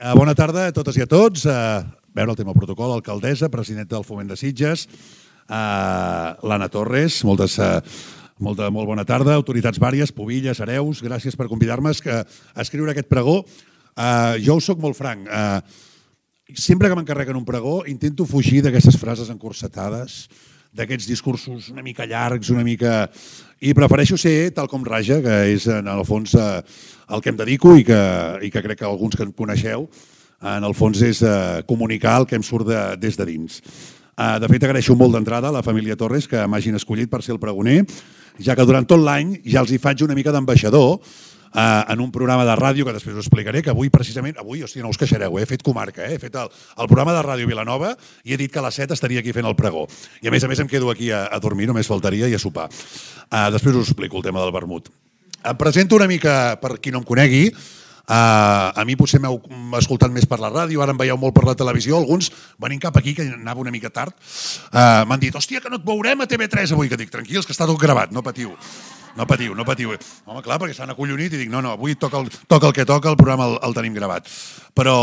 Bona tarda a totes i a tots. Veure el tema protocol, alcaldessa, presidenta del Foment de Sitges, l'Anna Torres, molt bona tarda, autoritats vàries, Pubilles, Hereus, gràcies per convidar-me a escriure aquest pregó. Jo us soc molt franc. Sempre que m'encarreguen un pregó intento fugir d'aquestes frases encorsetades, d'aquests discursos una mica llargs, i prefereixo ser tal com raja, que és en el fons el que em dedico i que crec que alguns que em coneixeu, en el fons és comunicar el que em surt des de dins. De fet, agraeixo molt d'entrada a la família Torres que m'hagin escollit per ser el pregoner, ja que durant tot l'any ja els hi faig una mica d'ambaixador en un programa de ràdio que després us explicaré, que avui precisament, no us queixareu, he fet comarca, he fet el programa de Ràdio Vilanova i he dit que a les 7 estaria aquí fent el pregó. I a més em quedo aquí a dormir, només faltaria, i a sopar. Després us explico el tema del vermut. Em presento una mica per qui no em conegui. A mi potser m'heu escoltat més per la ràdio, ara em veieu molt per la televisió, alguns venint cap aquí, que anava una mica tard, m'han dit, hòstia, que no et veurem a TV3 avui, que dic, tranquils, que està tot gravat, no patiu. No patiu. Home, clar, perquè s'han acollonit i dic, no, avui toca el que toca, el programa el tenim gravat. Però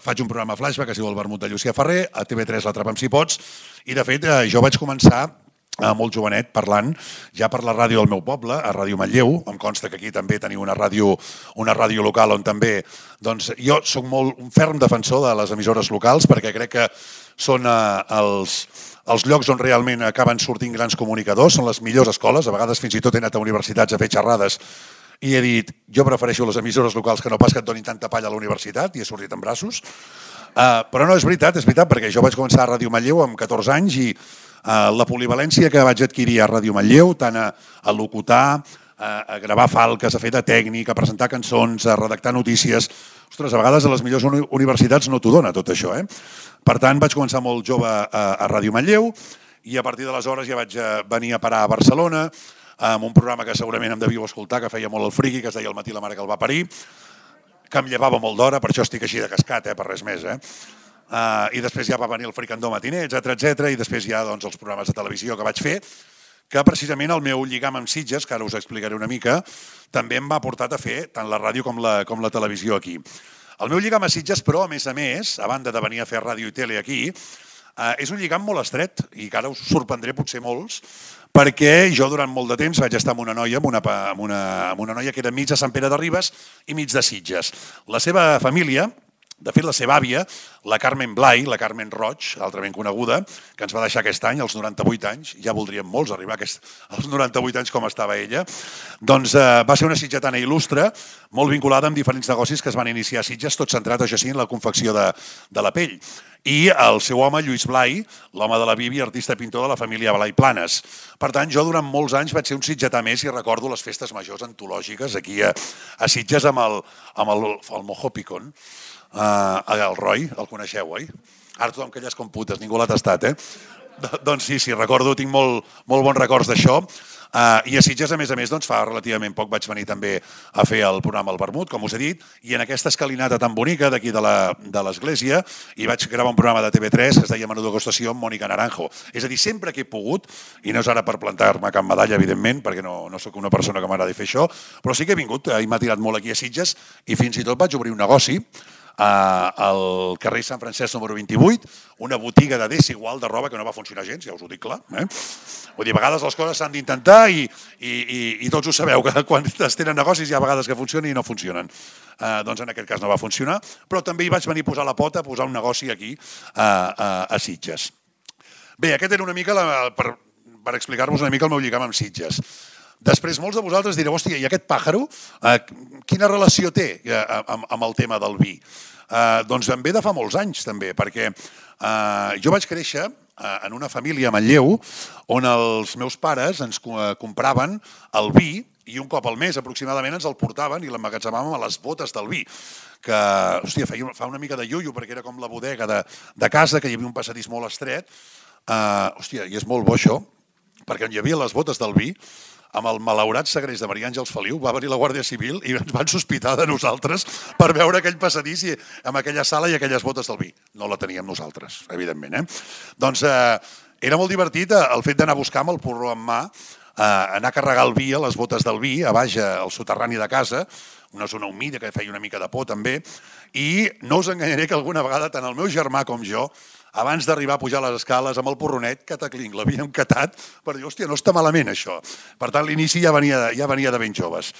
faig un programa flashback que es diu El vermut de Llucia Ferrer, a TV3 l'Atrapa'm si pots, i de fet jo vaig començar molt jovenet parlant ja per la ràdio del meu poble, a Ràdio Manlleu. Em consta que aquí també teniu una ràdio local on també... Doncs jo soc molt un ferm defensor de les emissores locals perquè crec que són els llocs on realment acaben sortint grans comunicadors, són les millors escoles, a vegades fins i tot he anat a universitats a fer xerrades i he dit, jo prefereixo les emissores locals que no pas que et donin tanta palla a la universitat, i he sortit en braços. Però no, és veritat, perquè jo vaig començar a Ràdio Manlleu amb 14 anys i la polivalència que vaig adquirir a Ràdio Manlleu, tant a locutar, a gravar falques, a fer de tècnic, a presentar cançons, a redactar notícies... Ostres, a vegades a les millors universitats no t'ho dona tot això. Per tant, vaig començar molt jove a Ràdio Manlleu i a partir d'aleshores ja vaig venir a parar a Barcelona amb un programa que segurament em devíeu escoltar, que feia molt el friqui, que es deia El matí la mare que el va parir, que em llevava molt d'hora, per això estic així de cascat, per res més. I després ja va venir el Fricandó matiner, etc. I després ja els programes de televisió que vaig fer, que precisament el meu lligam amb Sitges, que ara us explicaré una mica, també em va portar a fer tant la ràdio com la televisió aquí. El meu lligam a Sitges, però, a més, a banda de venir a fer ràdio i tele aquí, és un lligam molt estret i que ara us sorprendré potser molts, perquè jo durant molt de temps vaig estar amb una noia, amb una noia que era mig de Sant Pere de Ribes i mig de Sitges. La seva família, de fet, la seva àvia, la Carmen Blai, la Carmen Roig, altrament coneguda, que ens va deixar aquest any, als 98 anys, ja voldríem molts arribar als 98 anys com estava ella, doncs va ser una sitgetana il·lustre, molt vinculada amb diferents negocis que es van iniciar a Sitges, tot centrat, això sí, en la confecció de la pell. I el seu home, Lluís Blai, l'home de la Bibi, artista pintor de la família Blai Planes. Per tant, jo durant molts anys vaig ser un sitgetà més i recordo les festes majors antològiques aquí a Sitges amb el Mojo Picón. El Roy, el coneixeu, oi? Ara tothom calla com putes, ningú l'ha tastat, Doncs sí, recordo, tinc molt bons records d'això. I a Sitges, a més, fa relativament poc vaig venir també a fer el programa El Vermut, com us he dit, i en aquesta escalinata tan bonica d'aquí de l'església hi vaig gravar un programa de TV3 que es deia Menú Degustació amb Mònica Naranjo. És a dir, sempre que he pogut, i no és ara per plantar-me cap medalla, evidentment, perquè no sóc una persona que m'agradi fer això, però sí que he vingut i m'ha tirat molt aquí a Sitges i fins i tot vaig obrir un negoci al carrer Sant Francesc número 28, una botiga de desigual de roba que no va funcionar gens, ja us ho dic clar. Vull dir, a vegades les coses s'han d'intentar i tots ho sabeu, que quan es tenen negocis hi ha vegades que funcionen i no funcionen. Doncs en aquest cas no va funcionar, però també hi vaig venir a posar la pota, a posar un negoci aquí a Sitges. Bé, aquest era una mica per explicar-vos una mica el meu lligam amb Sitges. Després molts de vosaltres direu, hòstia, i aquest pàjaro, quina relació té amb el tema del vi? Doncs em ve de fa molts anys també, perquè jo vaig créixer en una família a Manlleu on els meus pares ens compraven el vi i un cop al mes aproximadament ens el portaven i l'emmagatzemàvem a les botes del vi, que, hòstia, fa una mica de iullo perquè era com la bodega de casa, que hi havia un passadís molt estret. Hòstia, i és molt bo això, perquè hi havia les botes del vi, amb el malaurat segrest de Maria Àngels Feliu, va venir la Guàrdia Civil i ens van sospitar de nosaltres per veure aquell passadís amb aquella sala i aquelles botes del vi. No la teníem nosaltres, evidentment. Doncs era molt divertit el fet d'anar a buscar amb el porró en mà, anar a carregar el vi a les botes del vi, a baix al soterrani de casa, una zona humida que feia una mica de por també, i no us enganyaré que alguna vegada tant el meu germà com jo, abans d'arribar a pujar les escales amb el porronet, cataclinc, l'havíem catat per dir, hòstia, no està malament això. Per tant, l'inici ja venia de ben joves.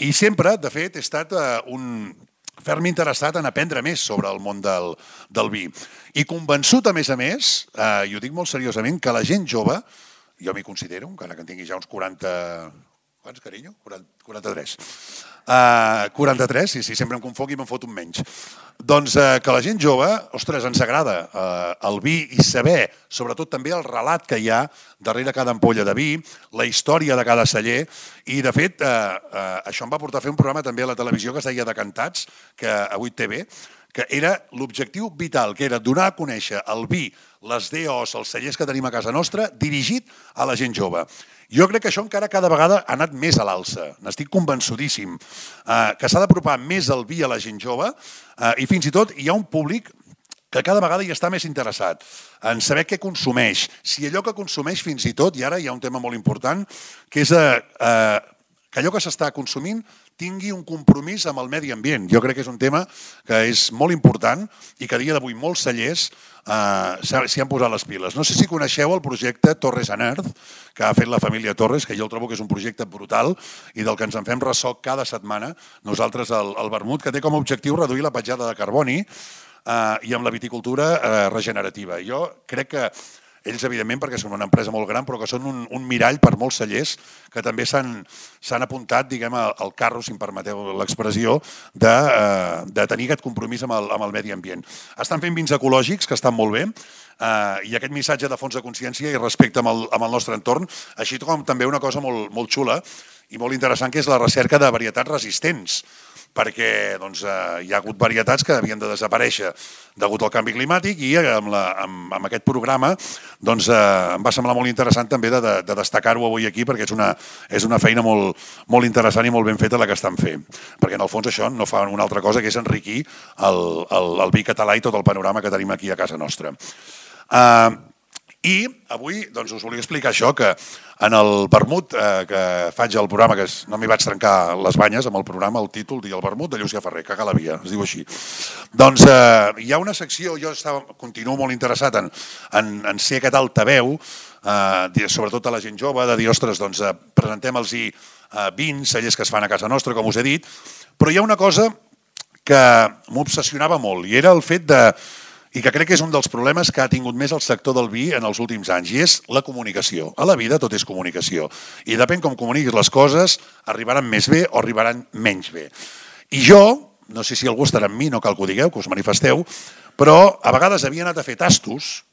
I sempre, de fet, he estat un ferm interessat en aprendre més sobre el món del vi. I convençut, a més, i ho dic molt seriosament, que la gent jove, jo m'hi considero, encara que en tingui ja uns 40... Quants, carinyo? 43. 43, sí, sempre em confonc i me'n foto un menys. Doncs que la gent jove, ostres, ens agrada el vi i saber, sobretot també el relat que hi ha darrere cada ampolla de vi, la història de cada celler, i de fet això em va portar a fer un programa també a la televisió que es deia Decantats, que a 8TV, que era l'objectiu vital, que era donar a conèixer el vi, les DOs, els cellers que tenim a casa nostra, dirigit a la gent jove. Jo crec que això encara cada vegada ha anat més a l'alça. N'estic convençudíssim que s'ha d'apropar més el vi a la gent jove i fins i tot hi ha un públic que cada vegada hi està més interessat en saber què consumeix. Si allò que consumeix fins i tot, i ara hi ha un tema molt important, que és que allò que s'està consumint tingui un compromís amb el medi ambient. Jo crec que és un tema que és molt important i que a dia d'avui molts cellers s'hi han posat les piles. No sé si coneixeu el projecte Torres and Earth, que ha fet la família Torres, que jo el trobo que és un projecte brutal i del que ens en fem ressò cada setmana, nosaltres al Vermut, que té com a objectiu reduir la petjada de carboni i amb la viticultura regenerativa. Jo crec que ells, evidentment, perquè són una empresa molt gran, però que són un mirall per molts cellers que també s'han apuntat, diguem, al carro, si em permeteu l'expressió, de tenir aquest compromís amb el medi ambient. Estan fent vins ecològics, que estan molt bé, i aquest missatge de fons de consciència i respecte amb el nostre entorn, així com també una cosa molt xula i molt interessant, que és la recerca de varietats resistents, perquè hi ha hagut varietats que havien de desaparèixer degut al canvi climàtic i amb aquest programa em va semblar molt interessant també de destacar-ho avui aquí perquè és una feina molt interessant i molt ben feta la que estan fent, perquè en el fons això no fa una altra cosa que és enriquir el vi català i tot el panorama que tenim aquí a casa nostra. I avui us volia explicar això, que en el vermut que faig al programa, que no m'hi vaig trencar les banyes amb el programa, el títol, el vermut de Llucià Ferrer, cagar la via, es diu així. Doncs hi ha una secció, jo continuo molt interessat en ser aquest altaveu, sobretot a la gent jove, de dir, ostres, presentem-los vins, cellers que es fan a casa nostra, com us he dit, però hi ha una cosa que m'obsessionava molt i era el fet i que crec que és un dels problemes que ha tingut més el sector del vi en els últims anys, i és la comunicació. A la vida tot és comunicació. I depèn com comuniquis les coses, arribaran més bé o arribaran menys bé. I jo, no sé si algú estarà amb mi, no cal que ho digueu, que us manifesteu, però a vegades havia anat a fer tastos,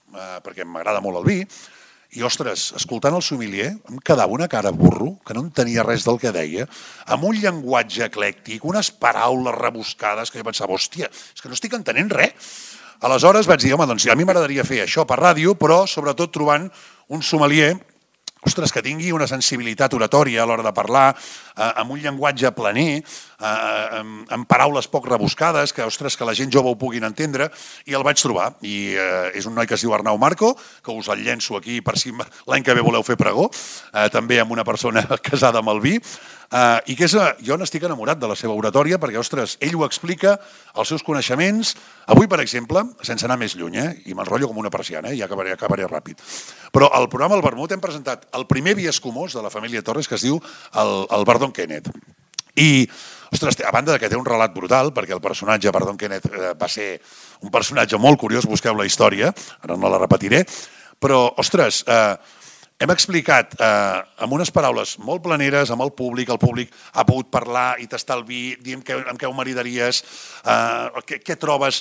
perquè m'agrada molt el vi, i, ostres, escoltant el sommelier, em quedava una cara burro, que no entenia res del que deia, amb un llenguatge eclèctic, unes paraules rebuscades, que jo pensava, hòstia, és que no estic entenent res. Aleshores vaig dir, home, doncs a mi m'agradaria fer això per ràdio, però sobretot trobant un sommelier, ostres, que tingui una sensibilitat oratòria a l'hora de parlar, amb un llenguatge planer, amb paraules poc rebuscades, que, ostres, que la gent jove ho puguin entendre, i el vaig trobar. I és un noi que es diu Arnau Marco, que us el llenço aquí per si l'any que ve voleu fer pregó, també amb una persona casada amb el vi, i que jo n'estic enamorat de la seva oratòria perquè, ostres, ell ho explica, els seus coneixements. Avui, per exemple, sense anar més lluny, i m'enrotllo com una persiana, ja acabaré ràpid, però al programa El Vermut hem presentat el primer vi escumós de la família Torres, que es diu el Bardon Kenneth. I, ostres, a banda que té un relat brutal, perquè el personatge Bardon Kenneth va ser un personatge molt curiós, busqueu la història, ara no la repetiré, però, ostres, hem explicat amb unes paraules molt planeres amb el públic ha pogut parlar i tastar el vi, dir amb què ho maridaries, què trobes,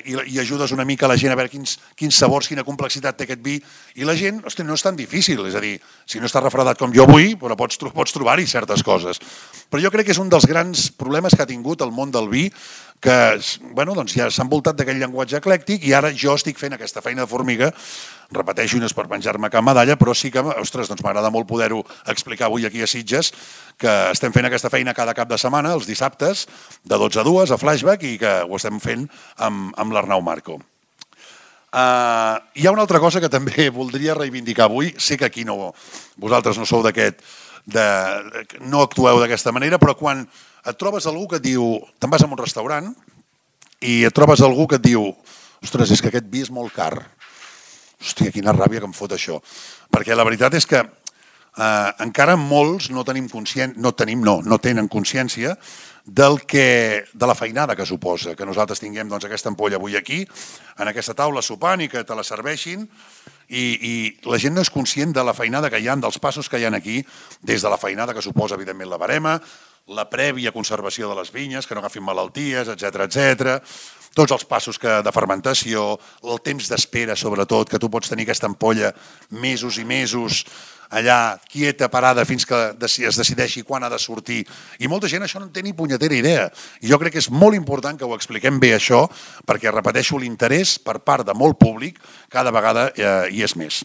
i ajudes una mica a la gent a veure quins sabors, quina complexitat té aquest vi, i la gent, ostres, no és tan difícil, és a dir, si no estàs refredat com jo vull, però pots trobar-hi certes coses. Però jo crec que és un dels grans problemes que ha tingut el món del vi, que ja s'ha envoltat d'aquest llenguatge eclèctic i ara jo estic fent aquesta feina de formiga, repeteixo, no és per penjar-me cap medalla, però sí que, ostres, m'agrada molt poder-ho explicar avui aquí a Sitges, que estem fent aquesta feina cada cap de setmana, els dissabtes, de 12 a 2, a Flashback, i que ho estem fent amb l'Arnau Marco. Hi ha una altra cosa que també voldria reivindicar avui, sé que aquí vosaltres no sou no actueu d'aquesta manera, però quan et trobes algú que et diu, te'n vas a un restaurant i et trobes algú que et diu, ostres, és que aquest vi és molt car. Hòstia, quina ràbia que em fot això. Perquè la veritat és que encara molts no tenen consciència de la feinada que suposa que nosaltres tinguem aquesta ampolla avui aquí, en aquesta taula sopant i que te la serveixin, i la gent no és conscient de la feinada que hi ha, dels passos que hi ha aquí, des de la feinada que suposa, evidentment, la barema, la prèvia conservació de les vinyes, que no agafin malalties, etc. Tots els passos de fermentació, el temps d'espera, sobretot, que tu pots tenir aquesta ampolla mesos i mesos allà quieta, parada, fins que es decideixi quan ha de sortir. I molta gent això no en té ni punyetera idea. I jo crec que és molt important que ho expliquem bé això, perquè, repeteixo, l'interès per part de molt públic cada vegada hi és més.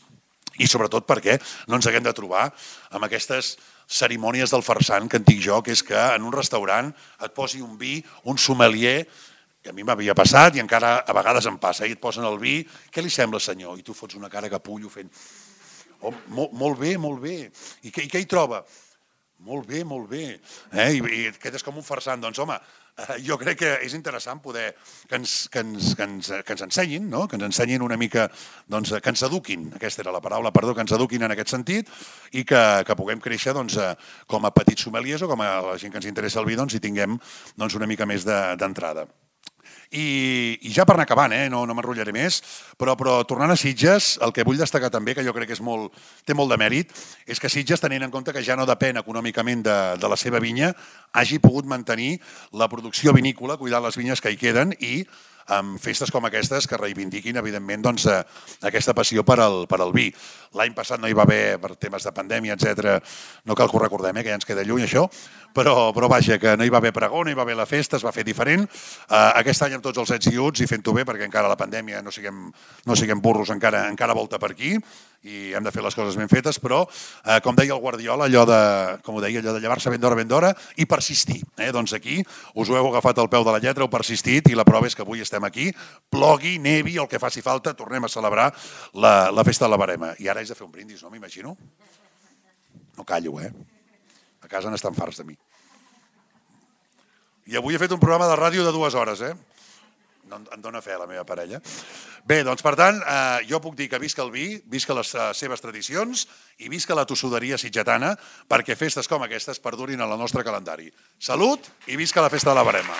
I sobretot perquè no ens haguem de trobar amb aquestes cerimònies del farsant que en dic jo, que és que en un restaurant et posi un vi, un sommelier, que a mi m'havia passat i encara a vegades em passa, i et posen el vi, què li sembla, senyor? I tu fots una cara capullo fent... Oh, molt bé, molt bé. I què hi troba? Molt bé, molt bé. I quedes com un farsant. Doncs, home, jo crec que és interessant poder que ens ensenyin, que ens ensenyin una mica, que ens eduquin, aquesta era la paraula, perdó, que ens eduquin en aquest sentit i que puguem créixer com a petits sommeliers o com a la gent que ens interessa el vi i tinguem una mica més d'entrada. I ja per anar acabant, no m'enrotllaré més, però tornant a Sitges, el que vull destacar també, que jo crec que té molt de mèrit, és que Sitges, tenint en compte que ja no depèn econòmicament de la seva vinya, hagi pogut mantenir la producció vinícola, cuidar les vinyes que hi queden i amb festes com aquestes que reivindiquin, evidentment, aquesta passió per al vi. L'any passat no hi va haver, per temes de pandèmia, etc. No cal que ho recordem, que ja ens queda lluny això, però vaja, que no hi va haver pregó, no hi va haver la festa, es va fer diferent. Aquest any amb tots els ets i uts i fent-ho bé, perquè encara la pandèmia no siguem burros, encara volta per aquí i hem de fer les coses ben fetes, però, com deia el Guardiola, allò de llevar-se ben d'hora i persistir. Doncs aquí us ho heu agafat al peu de la lletra, heu persistit i la prova és que avui estem aquí, plogui, nevi, el que faci falta, tornem a celebrar la festa de la barema. I ara haig de fer un brindis, no m'imagino? No callo, A casa n'estan farts de mi. I avui he fet un programa de ràdio de 2 hores, Em dóna fe la meva parella. Bé, doncs per tant, jo puc dir que visca el vi, visca les seves tradicions i visca la tossuderia sitgetana perquè festes com aquestes perdurin en el nostre calendari. Salut i visca la festa de la barema.